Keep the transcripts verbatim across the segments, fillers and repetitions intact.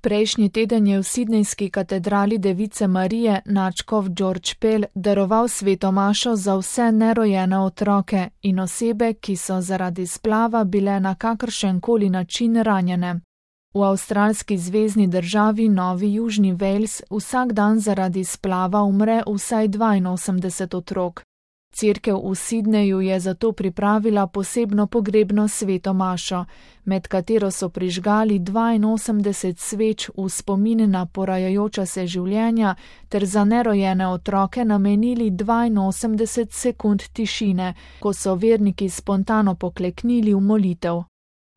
Prejšnji teden je v sidnejski katedrali Device Marije nadškof George Pell daroval sveto mašo za vse nerojene otroke in osebe, ki so zaradi splava bile na kakršenkoli način ranjene. V avstralski zvezni državi Novi Južni Wales vsak dan zaradi splava umre vsaj dvainosemdeset otrok. Cerkev v Sidneju je zato pripravila posebno pogrebno sveto mašo, med katero so prižgali dvainosemdeset sveč v spomin na porajajoča se življenja ter za nerojene otroke namenili dvainosemdeset sekund tišine, ko so verniki spontano pokleknili v molitev.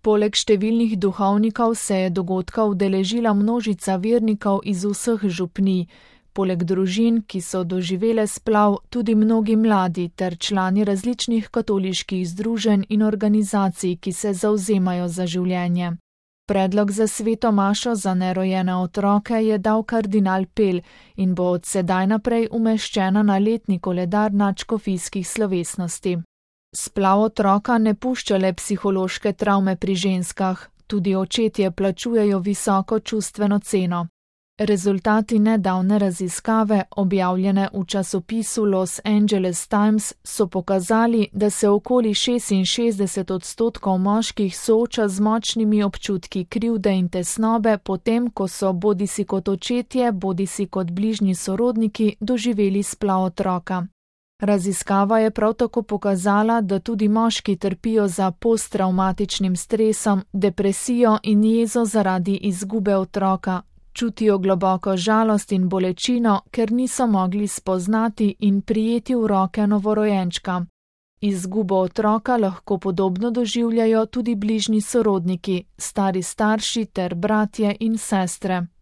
Poleg številnih duhovnikov se je dogodka udeležila množica vernikov iz vseh župnij, poleg družin, ki so doživele splav, tudi mnogi mladi ter člani različnih katoliških združenj in organizacij, ki se zavzemajo za življenje. Predlog za sveto mašo za nerojene otroke je dal kardinal Pell in bo od sedaj naprej umeščena na letni koledar nadškofijskih slovesnosti. Splav otroka ne pušča le psihološke travme pri ženskah, tudi očetje plačujejo visoko čustveno ceno. Rezultati nedavne raziskave, objavljene v časopisu Los Angeles Times, so pokazali, da se okoli šestinšestdeset odstotkov moških sooča z močnimi občutki krivde in tesnobe potem, ko so bodisi kot očetje, bodisi kot bližnji sorodniki doživeli splav otroka. Raziskava je prav tako pokazala, da tudi moški trpijo za posttravmatičnim stresom, depresijo in jezo zaradi izgube otroka. Čutijo globoko žalost in bolečino, ker niso mogli spoznati in prijeti v roke novorojenčka. Izgubo otroka lahko podobno doživljajo tudi bližnji sorodniki, stari starši ter bratje in sestre.